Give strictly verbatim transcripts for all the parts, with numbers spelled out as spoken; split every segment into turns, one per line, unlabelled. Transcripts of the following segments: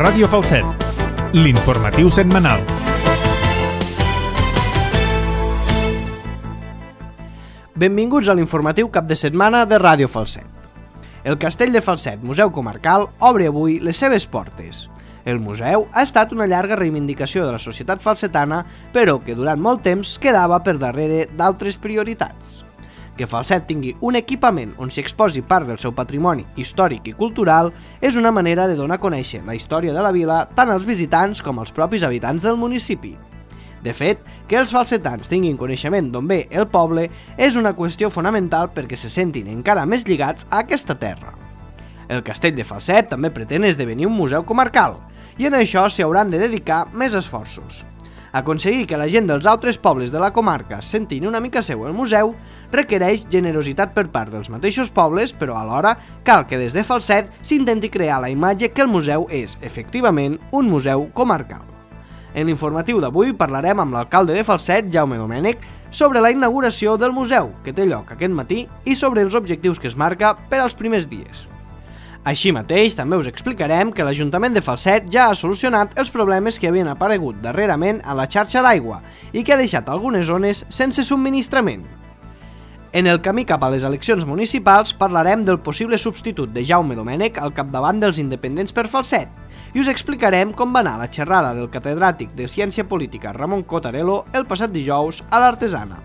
Ràdio Falset, l'informatiu setmanal.
Benvinguts a l'informatiu cap de setmana de Ràdio Falset. El Castell de Falset, Museu Comarcal, obre avui les seves portes. El museu ha estat una llarga reivindicació de la societat falsetana, però que durant molt temps quedava per darrere d'altres prioritats. Que Falset tingui un equipament on s'hi exposi part del seu patrimoni històric i cultural és una manera de donar a conèixer la història de la vila tant als visitants com als propis habitants del municipi. De fet, que els falsetans tinguin coneixement d'on ve el poble és una qüestió fonamental perquè se sentin encara més lligats a aquesta terra. El Castell de Falset també pretén esdevenir un museu comarcal, i en això s'hi hauran de dedicar més esforços. Aconseguir que la gent dels altres pobles de la comarca sentin una mica seu el museu requereix generositat per part dels mateixos pobles, però alhora cal que des de Falset s'intenti crear la imatge que el museu és, efectivament, un museu comarcal. En l'informatiu d'avui parlarem amb l'alcalde de Falset, Jaume Domènech, sobre la inauguració del museu, que té lloc aquest matí, i sobre els objectius que es marca per als primers dies. Així mateix, també us explicarem que l'Ajuntament de Falset ja ha solucionat els problemes que havien aparegut darrerament a la xarxa d'aigua i que ha deixat algunes zones sense subministrament. En el camí cap a les eleccions municipals parlarem del possible substitut de Jaume Domènech al capdavant dels independents per Falset i us explicarem com va anar la xerrada del catedràtic de Ciència Política Ramon Cotarello el passat dijous a l'Artesana.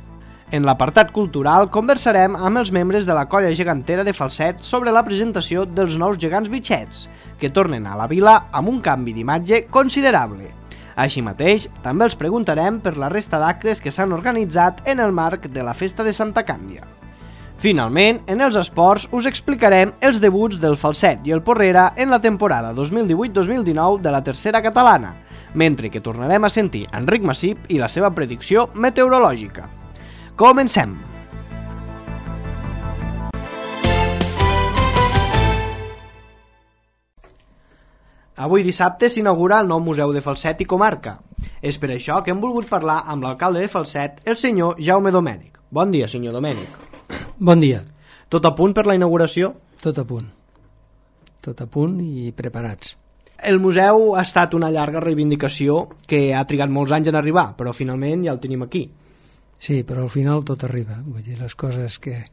En l'apartat cultural conversarem amb els membres de la colla gegantera de Falset sobre la presentació dels nous gegants bitxets, que tornen a la vila amb un canvi d'imatge considerable. Així mateix, també els preguntarem per la resta d'actes que s'han organitzat en el marc de la Festa de Santa Càndia. Finalment, en els esports us explicarem els debuts del Falset i el Porrera en la temporada dos mil divuit dos mil dinou de la tercera catalana, mentre que tornarem a sentir Enric Massip i la seva predicció meteorològica. Comencem! Avui dissabte s'inaugura el nou Museu de Falset i Comarca. És per això que hem volgut parlar amb l'alcalde de Falset, el senyor Jaume Domènech. Bon dia, senyor Domènech.
Bon dia.
Tot a punt per la inauguració?
Tot a punt. Tot a punt i preparats.
El museu ha estat una llarga reivindicació que ha trigat molts anys en arribar, però finalment ja el tenim aquí.
Sí, però al final tot arriba. Vull dir, les coses que...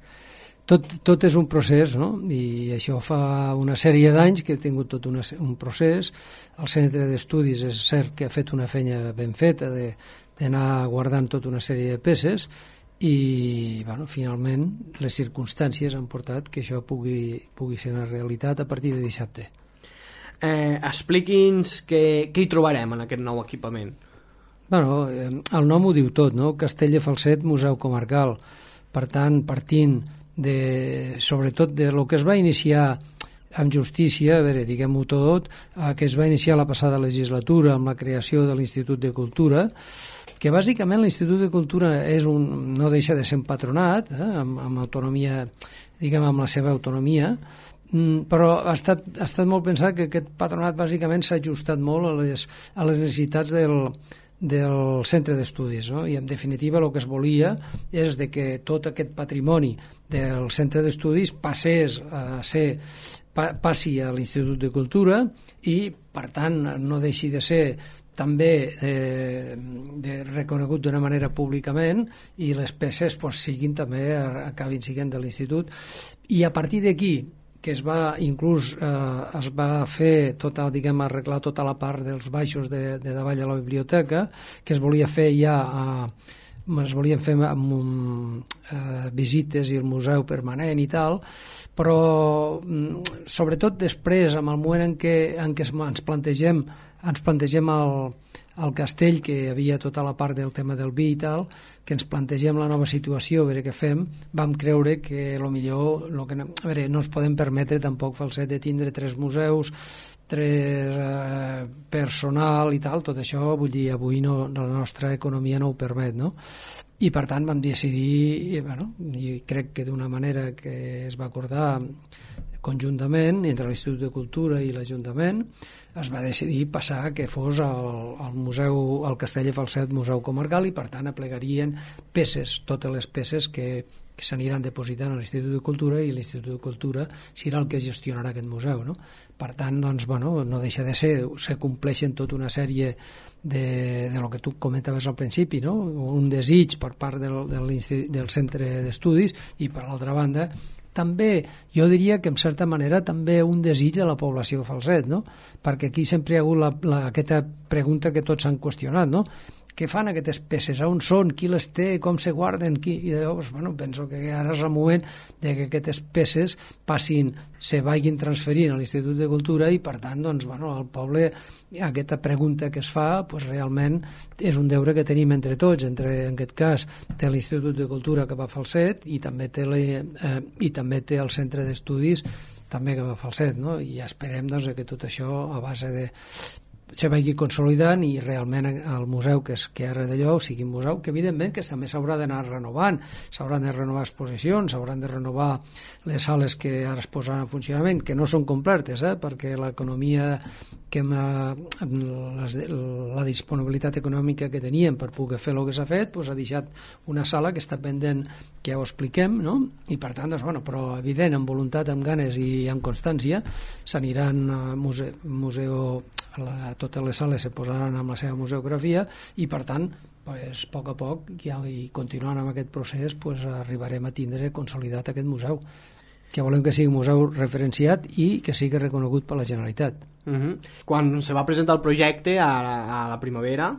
Tot, tot és un procés, no? I això fa una sèrie d'anys que he tingut tot una, un procés. El centre d'estudis és cert que ha fet una feina ben feta d'anar guardant tota una sèrie de peces i, bueno, finalment les circumstàncies han portat que això pugui, pugui ser una realitat a partir de dissabte.
Eh, expliqui'ns què, què hi trobarem en aquest nou equipament.
Bueno, eh, el nom ho diu tot, no? Castell de Falset, Museu Comarcal. Per tant, partint de, sobretot de lo que es va iniciar amb justícia, a veure, diguem-ho tot, eh, que es va iniciar la passada legislatura amb la creació de l'Institut de Cultura, que bàsicament l'Institut de Cultura és un, no deixa de ser un patronat, eh, amb, amb autonomia, diguem, amb la seva autonomia, mm, però ha estat, ha estat molt pensat que aquest patronat bàsicament s'ha ajustat molt a les, a les necessitats del del centre d'estudis, no? I en definitiva el que es volia és de que tot aquest patrimoni del centre d'estudis passés a ser, pa, passi a l'Institut de Cultura i per tant no deixi de ser també de, de reconegut d'una manera públicament i les peces pues, siguin també acabin siguent de l'Institut i a partir d'aquí que es va inclús eh, es va fer tota, diguem, arreglar tota la part dels baixos de, de davall de la biblioteca, que es volia fer ja a, es volien fer amb un, eh, visites i el museu permanent i tal, però sobretot després, amb el moment en què, en què ens plantegem ens plantegem el al castell, que hi havia tota la part del tema del vi i tal, que ens plantegem la nova situació, a veure què fem, vam creure que el millor, lo que, a veure, no ens podem permetre tampoc Falset de tindre tres museus, tres eh, personal i tal, tot això, vull dir, avui no, la nostra economia no ho permet, no? I per tant vam decidir, i, bueno, i crec que d'una manera que es va acordar conjuntament entre l'Institut de Cultura i l'Ajuntament, es va decidir passar que fos el, el museu, el Castell de Falset Museu Comarcal i per tant aplegarien peces, totes les peces que, que s'aniran depositant a l'Institut de Cultura i l'Institut de Cultura serà el que gestionarà aquest museu, no? Per tant, doncs, bueno, no deixa de ser, se compleixen tota una sèrie de, de lo que tu comentaves al principi, no? Un desig per part del, del, del centre d'estudis i, per l'altra banda, també, jo diria que en certa manera també un desig de la població de Falset, no? Perquè aquí sempre hi ha hagut la, la, aquesta pregunta que tots s'han qüestionat, no? Què fan aquestes peces? On són? Qui les té? Com se guarden? Qui? I llavors, bueno, penso que ara és el moment de que aquestes peces passin, se vagin transferint a l'Institut de Cultura i, per tant, doncs, bueno, el poble, aquesta pregunta que es fa, pues, realment és un deure que tenim entre tots, entre, en aquest cas, té l'Institut de Cultura que va a Falset i també té, la, eh, i també té el Centre d'Estudis també que va a Falset, no? I esperem, doncs, que tot això, a base de se vagi consolidant i realment el museu que, és, que ara d'allò sigui un museu que evidentment que també s'haurà d'anar renovant, s'hauran de renovar exposicions, s'hauran de renovar les sales que ara es posaran en funcionament, que no són completes, eh? Perquè l'economia que la, la disponibilitat econòmica que teníem per poder fer el que s'ha fet, doncs ha deixat una sala que està pendent que ja ho expliquem, no? I per tant, doncs, bueno, però evident, amb voluntat, amb ganes i amb constància s'aniran a museu, museu la, totes les sales se posaran amb la seva museografia i per tant pues, a poc a poc ja, i continuant amb aquest procés pues, arribarem a tindre consolidat aquest museu, que volem que sigui un museu referenciat i que sigui reconegut per la Generalitat.
Uh-huh. Quan se va presentar el projecte a la, a la primavera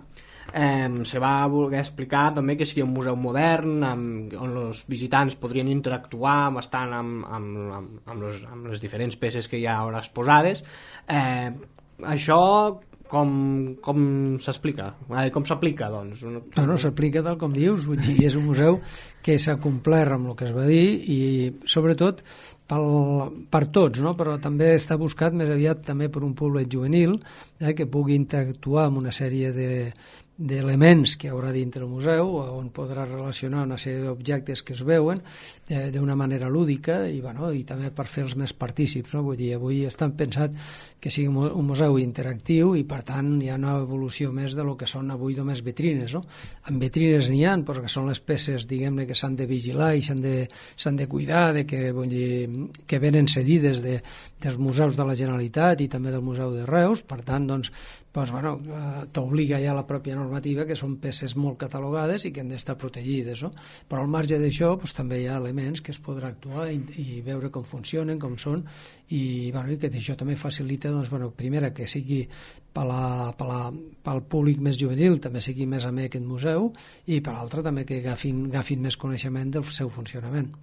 eh, se va voler explicar també que seria un museu modern amb, on els visitants podrien interactuar bastant amb, amb, amb, amb, los, amb les diferents peces que hi ha ara exposades. eh, Això com, com s'explica? Com s'aplica, doncs?
No, no, s'aplica tal com dius, vull dir, és un museu que s'ha complert amb el que es va dir i sobretot pel, per tots, no? Però també està buscat més aviat també per un públic juvenil eh, que pugui interactuar amb una sèrie de d'elements que hi haurà dintre el museu on podrà relacionar una sèrie d'objectes que es veuen eh, d'una manera lúdica i, bueno, i també per fer-los més partícips, no? Vull dir, avui estan pensat que sigui un museu interactiu i per tant hi ha una evolució més de lo que són avui només vitrines, no? En vitrines n'hi ha, perquè són les peces, diguem-ne, que s'han de vigilar i s'han de, s'han de cuidar, de que, vull dir, que venen cedides de, dels museus de la Generalitat i també del Museu de Reus, per tant, doncs, doncs bueno, t'obliga ja la pròpia normativa que són peces molt catalogades i que han d'estar protegides, no? Però al marge d'això doncs, també hi ha elements que es podrà actuar i, i veure com funcionen, com són i, bueno, i que això també facilita doncs, bueno, primera que sigui per la, per la, pel públic més juvenil també sigui més amè aquest museu i per l'altra també que agafin, agafin més coneixement del seu funcionament.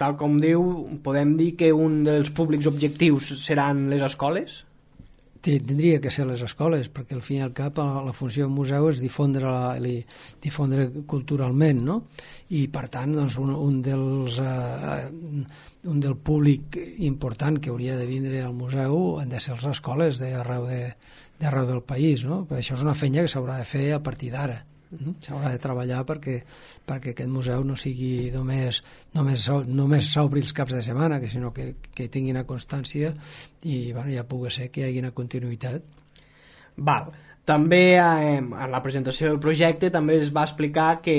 Tal com diu, podem dir que un dels públics objectius seran les escoles?
Tindria que ser les escoles, perquè al fin i al cap la funció del museu és difondre, la, difondre culturalment, no? I per tant doncs, un, un, dels, uh, un del públic important que hauria de vindre al museu han de ser les escoles d'arreu de, d'arreu del país, no? Per això és una feina que s'haurà de fer a partir d'ara. S'haurà de treballar perquè, perquè aquest museu no sigui només, només, només s'obri els caps de setmana, que sinó que, que tingui una constància i bueno, ja pugui ser que hi hagi una continuïtat.
Val. També eh, en la presentació del projecte també es va explicar que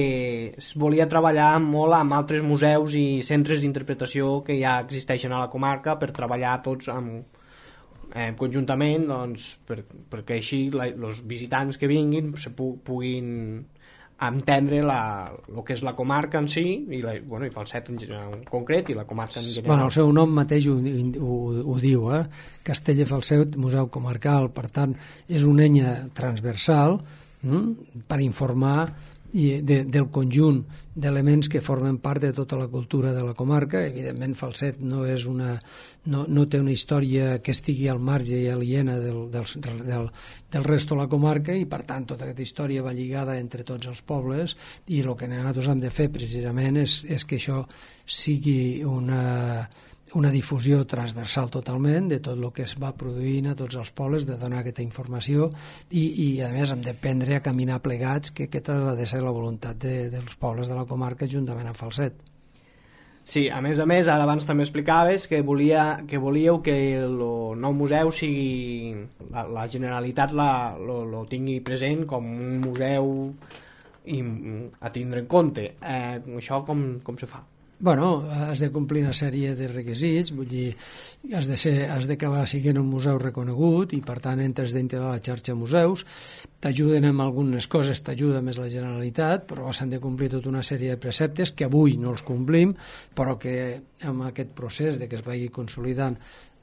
es volia treballar molt amb altres museus i centres d'interpretació que ja existeixen a la comarca per treballar tots amb Eh, conjuntament doncs, per, perquè així els visitants que vinguin se pu puguin entendre la, el que és la comarca en si i, la, bueno, i Falset en, en concret i la comarca en general.
Bueno, el seu nom mateix ho, ho, ho diu, eh? Castell de Falset, Museu Comarcal, per tant és una eina transversal hm? per informar i de, del conjunt d'elements que formen part de tota la cultura de la comarca. Evidentment Falset no, és una, no, no té una història que estigui al marge i aliena del, del, del, del resto de la comarca i per tant tota aquesta història va lligada entre tots els pobles i el que nosaltres hem de fer precisament és, és que això sigui una una difusió transversal totalment de tot el que es va produint a tots els pobles, de donar aquesta informació i, i a més hem de prendre a caminar plegats, que aquesta ha de ser la voluntat de, dels pobles de la comarca juntament amb Falset.
Sí, a més a més, ara abans també explicaves que, volia, que volíeu que el nou museu sigui, la, la Generalitat la, lo, lo tingui present com un museu i, a tindre en compte. Eh, això com, com se fa?
bueno, has de complir una sèrie de requisits, vull dir, has de ser, has d'acabar sent un museu reconegut i per tant entres dintre de la xarxa museus, t'ajuden amb algunes coses, t'ajuda més la Generalitat, però s'han de complir tota una sèrie de preceptes que avui no els complim, però que amb aquest procés de que es vagi consolidant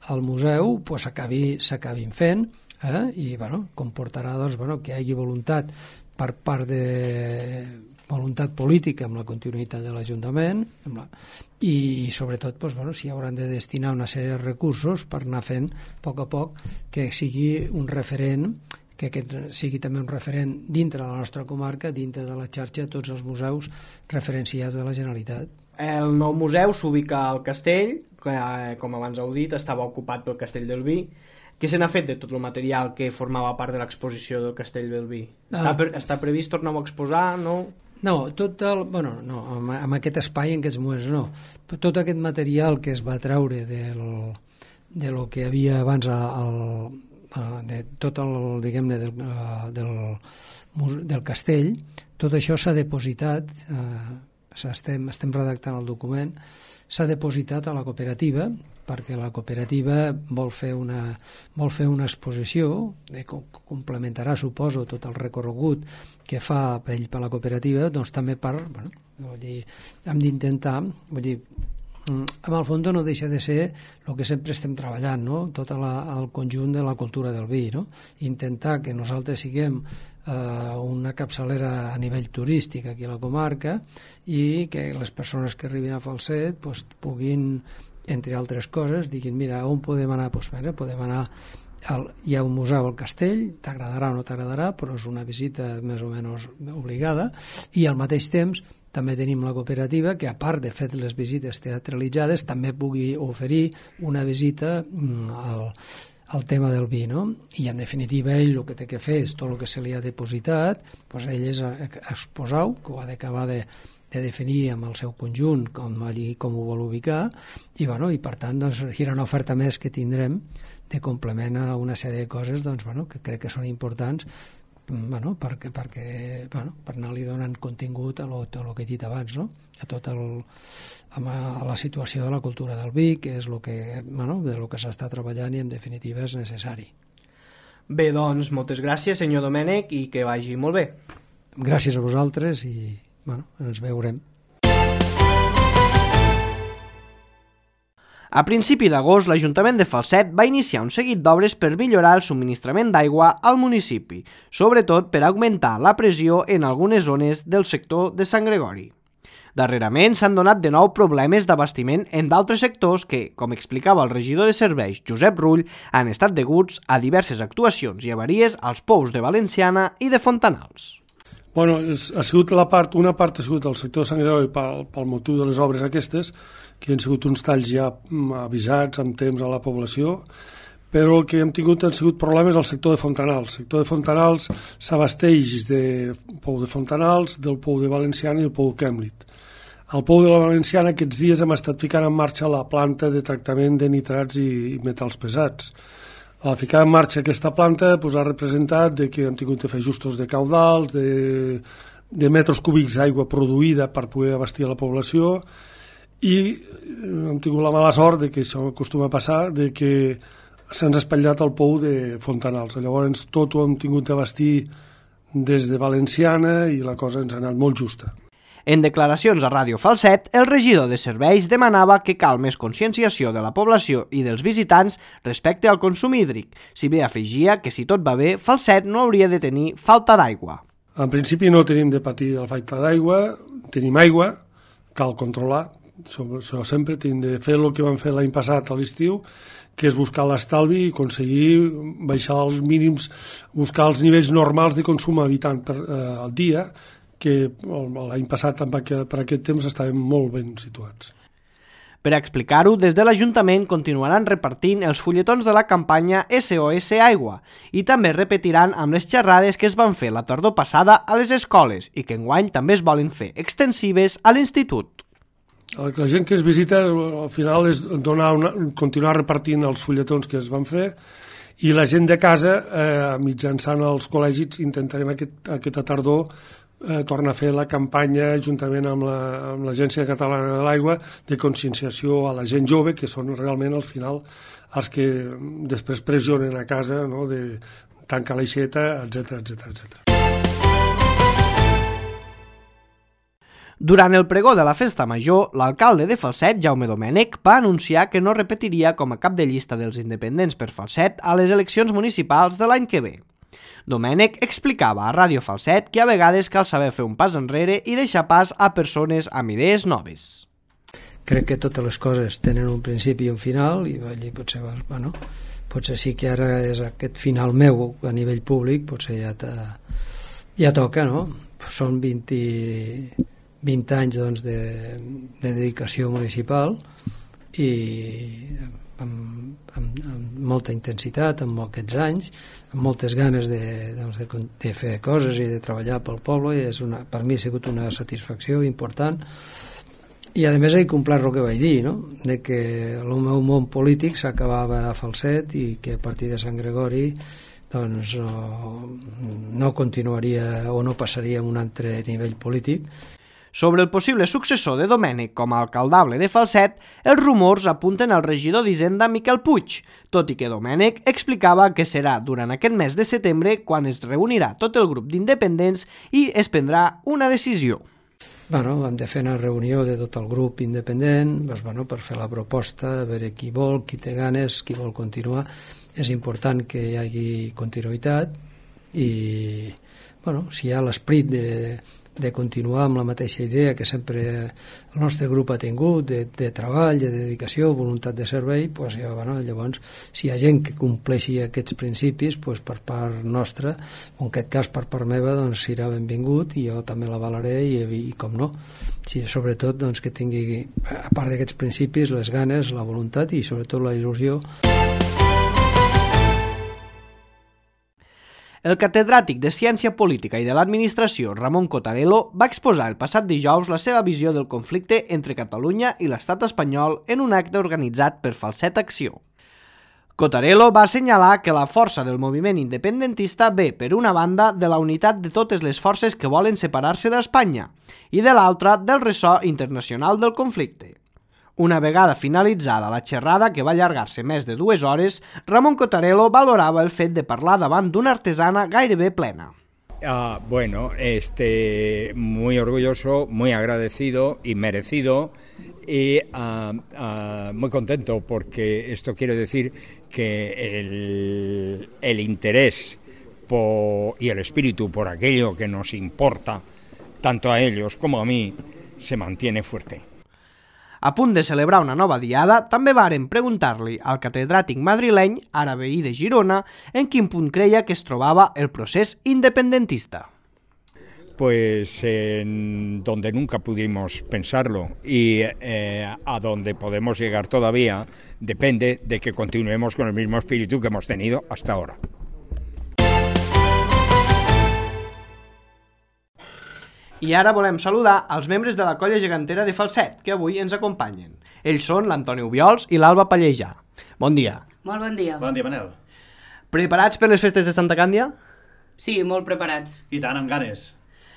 el museu pues, s'acabin fent, eh? I bueno, comportarà doncs, bueno, que hi hagi voluntat per part de voluntat política amb la continuïtat de l'Ajuntament la... i sobretot doncs, bueno, si hauran de destinar una sèrie de recursos per anar fent a poc a poc que sigui un referent, que aquest sigui també un referent dintre de la nostra comarca, dintre de la xarxa de tots els museus referenciats de la Generalitat.
El nou museu s'ubica al castell, que com abans heu dit estava ocupat pel Castell del Vi. Què se n'ha fet de tot el material que formava part de l'exposició del Castell del Vi? Està, pre està previst tornar-ho a exposar, no?
No, tot el... Bueno, no, amb, amb aquest espai en aquests moments no. Però tot aquest material que es va treure del, de lo que havia abans al, de tot el, diguem-ne, del, del, del castell, tot això s'ha depositat, eh, estem, estem redactant el document, s'ha depositat a la cooperativa, perquè la cooperativa vol fer una, vol fer una exposició que complementarà, suposo, tot el recorregut que fa ell per la cooperativa, doncs també per, bueno, vull dir, hem d'intentar, vull dir, amb el fons no deixa de ser el que sempre estem treballant, no? Tot la, el conjunt de la cultura del vi, no? Intentar que nosaltres siguem eh, una capçalera a nivell turístic aquí a la comarca i que les persones que arribin a Falset pues, puguin, entre altres coses, diguin, mira, on podem anar? Pues, mira, podem anar al, hi ha un museu al castell, t'agradarà o no t'agradarà, però és una visita més o menys obligada, i al mateix temps també tenim la cooperativa que, a part de fer les visites teatralitzades, també pugui oferir una visita al, al tema del vi, no? I, en definitiva, ell el que té que fer és tot el que se li ha depositat, doncs ell és exposar-ho, que ho ha d'acabar de, de definir amb el seu conjunt, com, allí, com ho vol ubicar, i, bueno, i per tant, doncs, serà una oferta més que tindrem de complement a una sèrie de coses doncs, bueno, que crec que són importants bueno, perquè, perquè, bueno, per anar-li donant contingut a lo, a lo que he dit abans, no? A tot el, a la situació de la cultura del vi, que és lo que, bueno, de lo que s'està treballant i en definitiva és necessari.
Bé, doncs, moltes gràcies, senyor Domènech, i que vagi molt bé.
Gràcies a vosaltres i bueno, ens veurem.
A principi d'agost, l'Ajuntament de Falset va iniciar un seguit d'obres per millorar el subministrament d'aigua al municipi, sobretot per augmentar la pressió en algunes zones del sector de Sant Gregori. Darrerament s'han donat de nou problemes d'abastiment en d'altres sectors que, com explicava el regidor de serveis, Josep Rull, han estat deguts a diverses actuacions i avaries als pous de Valenciana i de Fontanals.
Bueno, és, ha sigut la part, una part ha sigut el sector de Sant Gregori pel, pel motiu de les obres aquestes, que han sigut uns talls ja avisats amb temps a la població, però el que hem tingut han sigut problemes al sector de Fontanals. El sector de Fontanals s'abasteix de pou de Fontanals, del pou de Valenciana i el pou de Kemlit. Al pou de la Valenciana aquests dies hem estat ficant en marxa la planta de tractament de nitrats i, i metalls pesats. Al ficar en marxa aquesta planta pues, ha representat de que hem tingut de fer ajustos de caudals, de, de metres cúbics d'aigua produïda per poder abastir a la població, i hem tingut la mala sort de que això acostuma a passar, de que se'ns ha espatllat el pou de Fontanals. Llavors tot ho hem tingut d'abastir des de Valenciana i la cosa ens ha anat molt justa.
En declaracions a Ràdio Falset, el regidor de serveis demanava que cal més conscienciació de la població i dels visitants respecte al consum hídric, si bé afegia que si tot va bé, Falset no hauria de tenir falta d'aigua.
En principi no tenim de patir la falta d'aigua, tenim aigua, cal controlar, això sempre hem de fer el que vam fer l'any passat a l'estiu, que és buscar l'estalvi i aconseguir baixar els mínims, buscar els nivells normals de consum habitant per, eh, al dia, que l'any passat per aquest temps estàvem molt ben situats.
Per explicar-ho, des de l'Ajuntament continuaran repartint els fulletons de la campanya S O S Aigua i també repetiran amb les xerrades que es van fer la tardor passada a les escoles i que enguany també es volen fer extensives a l'institut.
La gent que es visita al final és donar una, continuar repartint els fulletons que es van fer i la gent de casa, eh, mitjançant els col·legis, intentarem aquest, aquesta tardor eh, torna a fer la campanya juntament amb la- amb l'Agència Catalana de l'Aigua de conscienciació a la gent jove, que són realment al final els que després pressionen a casa, no?, de tancar l'aixeta, etcètera, etcètera, etcètera.
Durant el pregó de la festa major, l'alcalde de Falset, Jaume Domènech, va anunciar que no repetiria com a cap de llista dels independents per Falset a les eleccions municipals de l'any que ve. Domènech explicava a Ràdio Falset que a vegades cal saber fer un pas enrere i deixar pas a persones amb idees noves.
Crec que totes les coses tenen un principi i un final, i allí potser, bueno, potser sí que ara és aquest final meu a nivell públic, potser ja, ja toca, no? Són vint, vint anys doncs, de, de dedicació municipal i amb, amb, amb molta intensitat, amb aquests anys, amb moltes ganes de, doncs, de, de fer coses i de treballar pel poble, i és una, per mi ha sigut una satisfacció important. I a més he complert el que vaig dir, no?, de que el meu món polític s'acabava a Falset i que a partir de Sant Gregori doncs no, no continuaria o no passaria a un altre nivell polític.
Sobre el possible successor de Domènech com a alcaldable de Falset, els rumors apunten al regidor d'Hisenda Miquel Puig, tot i que Domènech explicava que serà durant aquest mes de setembre quan es reunirà tot el grup d'independents i es prendrà una decisió.
Bueno, hem de fer una reunió de tot el grup independent, doncs, bueno, per fer la proposta, a veure qui vol, qui té ganes, qui vol continuar. És important que hi hagi continuïtat i, bueno, si hi ha l'esperit de, de continuar amb la mateixa idea que sempre el nostre grup ha tingut, de, de treball, de dedicació, voluntat de servei, doncs, ja, bueno, llavors, si hi ha gent que compleixi aquests principis, doncs, per part nostra, o en aquest cas per part meva, doncs serà benvingut i jo també l'avalaré i, i, i com no, si, sobretot doncs, que tingui, a part d'aquests principis, les ganes, la voluntat i sobretot la il·lusió.
El catedràtic de Ciència Política i de l'Administració, Ramon Cottarello, va exposar el passat dijous la seva visió del conflicte entre Catalunya i l'estat espanyol en un acte organitzat per Falset Acció. Cottarello va assenyalar que la força del moviment independentista ve, per una banda, de la unitat de totes les forces que volen separar-se d'Espanya i, de l'altra, del ressò internacional del conflicte. Una vegada finalitzada la xerrada, que va allargar-se més de dues hores, Ramon Cottarello valorava el fet de parlar davant d'una artesana gairebé plena.
Ah, bueno, este, muy orgulloso, muy agradecido y merecido y uh, uh, muy contento porque esto quiere decir que el, el interés por, y el espíritu por aquello que nos importa, tanto a ellos como a mí, se mantiene fuerte.
A punt de celebrar una nova diada, també varen preguntar-li al catedràtic madrileny, ara veí de Girona, en quin punt creia que es trobava el procés independentista.
Pues en donde nunca pudimos pensarlo y eh, a donde podemos llegar todavía depende de que continuemos con el mismo espíritu que hemos tenido hasta ahora.
I ara volem saludar els membres de la colla gegantera de Falset, que avui ens acompanyen. Ells són l'Antoni Ubiols i l'Alba Pallejà. Bon dia.
Molt bon dia.
Bon dia, Manel.
Preparats per les festes de Santa Càndia?
Sí, molt preparats.
I tant, amb ganes.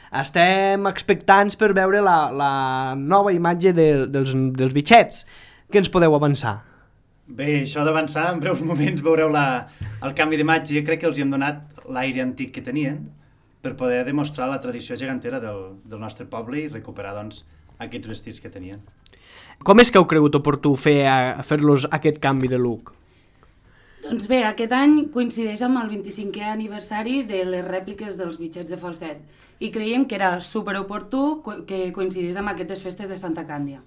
Estem expectants per veure la, la nova imatge de, dels, dels bitxets. Què ens podeu avançar?
Bé, això d'avançar, en breus moments veureu la, el canvi d'imatge. Crec que els hi hem donat l'aire antic que tenien per poder demostrar la tradició gegantera del, del nostre poble i recuperar, doncs, aquests vestits que tenien.
Com és que heu cregut oportú fer, fer-los aquest canvi de look?
Doncs bé, aquest any coincideix amb el vint-i-cinquè aniversari de les rèpliques dels bitxets de Falset i creiem que era superoportú que coincidís amb aquestes festes de Santa Càndia.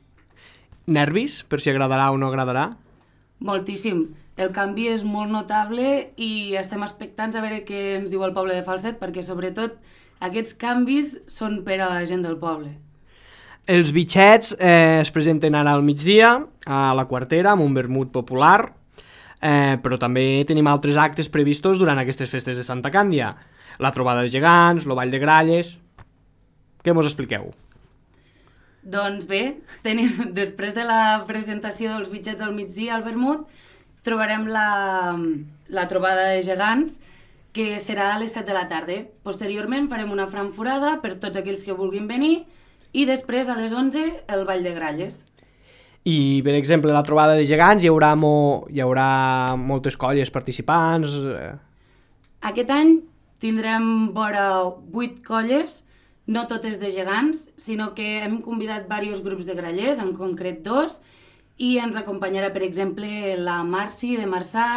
Nervis, per si agradarà o no agradarà?
Moltíssim. El canvi és molt notable i estem expectants a veure què ens diu el poble de Falset, perquè sobretot aquests canvis són per a la gent del poble.
Els bitxets eh, es presenten ara al migdia a la Quartera amb un vermut popular, eh, però també tenim altres actes previstos durant aquestes festes de Santa Càndia. La trobada de gegants, el ball de gralles... Què mos expliqueu?
Doncs bé, tenim, després de la presentació dels bitxets al migdia al vermut, trobarem la, la trobada de gegants, que serà a les set de la tarda. Posteriorment farem una frankfurada per tots aquells que vulguin venir i després a les onze el ball de gralles.
I, per exemple, la trobada de gegants hi haurà, mo... hi haurà moltes colles participants?
Aquest any tindrem vora vuit colles, no totes de gegants, sinó que hem convidat diversos grups de grallers, en concret dos, i ens acompanyarà, per exemple, la Marci de Marçà,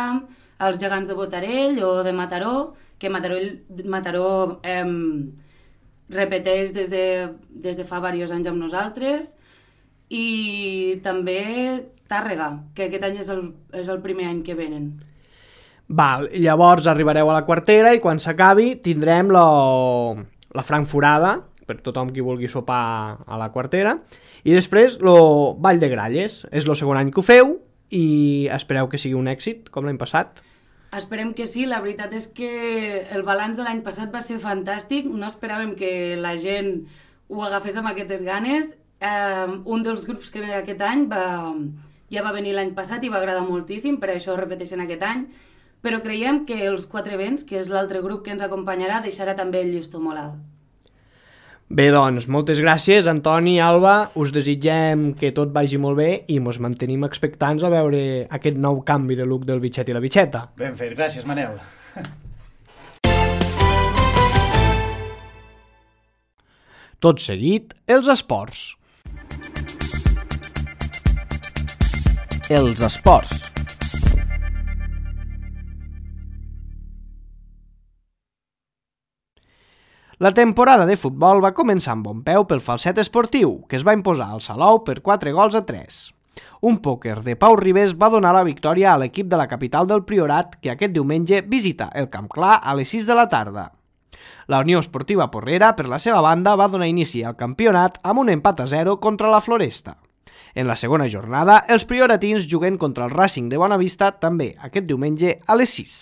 els gegants de Botarell o de Mataró, que Mataró, Mataró eh, repeteix des de, des de fa diversos anys amb nosaltres, i també Tàrrega, que aquest any és el, és el primer any que venen.
Val, llavors arribareu a la quartera i quan s'acabi tindrem la, la frankfurada per tothom qui vulgui sopar a la quartera i després el ball de gralles. És el segon any que ho feu i espereu que sigui un èxit com l'any passat.
Esperem que sí, la veritat és que el balanç de l'any passat va ser fantàstic, no esperàvem que la gent ho agafés amb aquestes ganes. Um, un dels grups que ve aquest any va, ja va venir l'any passat i va agradar moltíssim, per això ho repeteixen aquest any, però creiem que els Quatre Vents, que és l'altre grup que ens acompanyarà, deixarà també el llistó molt alt.
Bé, doncs, moltes gràcies, Antoni i Alba, us desitgem que tot vagi molt bé i ens mantenim expectants a veure aquest nou canvi de look del bitxet i la bitxeta.
Ben fet, gràcies, Manel.
Tot seguit, els esports.
Els esports.
La temporada de futbol va començar amb bon peu pel Falset Esportiu, que es va imposar al Salou per quatre gols a tres. Un pòquer de Pau Ribés va donar la victòria a l'equip de la capital del Priorat, que aquest diumenge visita el Camp Clar a les sis de la tarda. La Unió Esportiva Porrera, per la seva banda, va donar inici al campionat amb un empat a zero contra la Floresta. En la segona jornada, els prioratins juguen contra el Racing de Bonavista també aquest diumenge a les sis.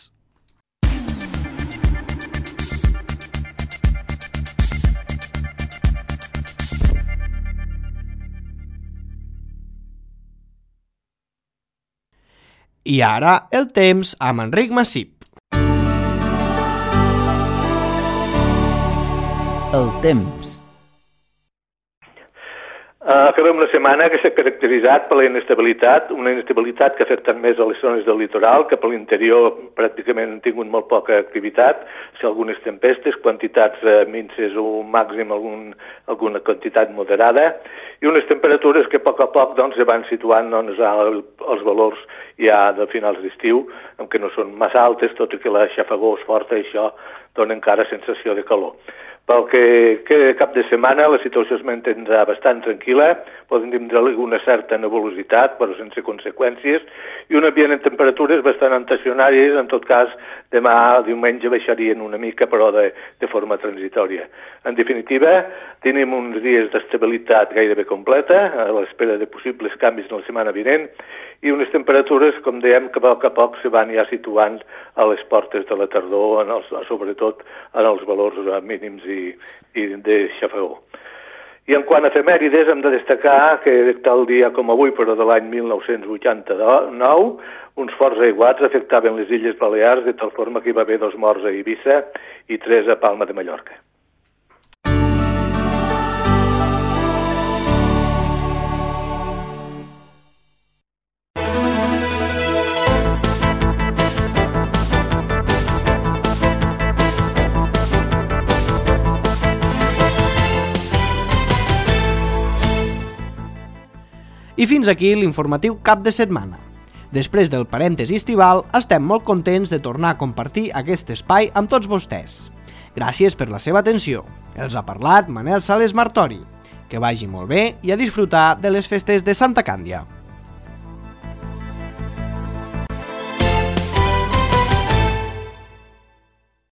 I ara, el temps amb Enric Massip.
El temps.
Acabem una setmana que s'ha caracteritzat per la inestabilitat, una inestabilitat que ha afectat més a les zones del litoral, que per l'interior pràcticament han tingut molt poca activitat, si algunes tempestes, quantitats minces o màxim algun, alguna quantitat moderada, i unes temperatures que a poc a poc doncs, se van situant doncs, als valors ja de finals d'estiu, en què no són massa altes, tot i que la xafagó és forta i això dona encara sensació de calor. Pel que queda cap de setmana, la situació es mantindrà bastant tranquil·la, poden tindre alguna certa nebulositat, però sense conseqüències, i un ambient en temperatures bastant estacionàries, en tot cas, demà, diumenge, baixarien una mica, però de, de forma transitòria. En definitiva, tenim uns dies d'estabilitat gairebé completa, a l'espera de possibles canvis en la setmana vinent, i unes temperatures, com dèiem, que a poc a poc se van ja situant a les portes de la tardor, en els, sobretot en els valors mínims i, i de xafagó. I en quant a efemèrides, hem de destacar que tal dia com avui, però de l'any mil nou-cents vuitanta-nou, uns forts aiguats afectaven les Illes Balears, de tal forma que hi va haver dos morts a Eivissa i tres a Palma de Mallorca.
I fins aquí l'informatiu cap de setmana. Després del parèntesi estival, estem molt contents de tornar a compartir aquest espai amb tots vostès. Gràcies per la seva atenció. Els ha parlat Manel Sales Martori. Que vagi molt bé i a disfrutar de les festes de Santa Càndia.